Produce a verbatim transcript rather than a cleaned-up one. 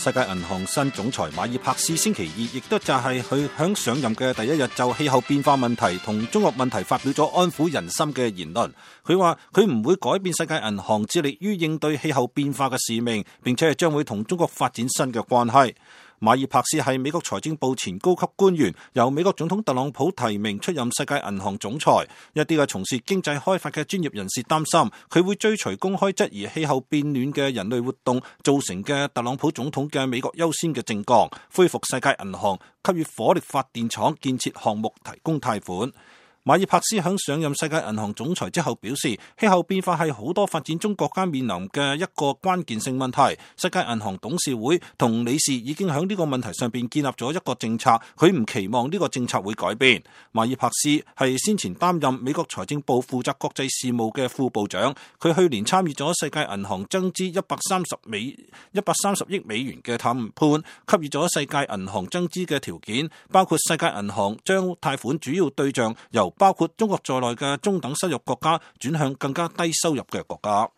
世界銀行新總裁馬爾帕斯星期二亦都就係佢響上任嘅第一日就氣候變化問題同中國問題發表咗安撫人心嘅言論。佢話佢唔會改變世界銀行致力於應對氣候變化嘅使命，並且係將會同中國發展新嘅關係。馬爾帕斯係美國財政部前高級官員，由美國總統特朗普提名出任世界銀行總裁。一啲嘅從事經濟開發嘅專業人士擔心，佢會追隨公開質疑氣候變暖嘅人類活動造成嘅特朗普總統嘅美國優先嘅政綱，恢復世界銀行給予火力發電廠建設項目提供貸款。馬爾帕斯響上任世界銀行總裁之後表示，氣候變化係好多發展中國家面臨嘅一個關鍵性問題。世界銀行董事會同理事已經響呢個問題上邊建立咗一個政策，佢唔期望呢個政策會改變。馬爾帕斯係先前擔任美國財政部負責國際事務嘅副部長，佢去年參與咗世界銀行增資一百三十美一百三十億美元嘅談判，給予咗世界銀行增資嘅條件，包括世界銀行將貸款主要對象由包括中國在內嘅中等收入國家轉向更加低收入嘅國家。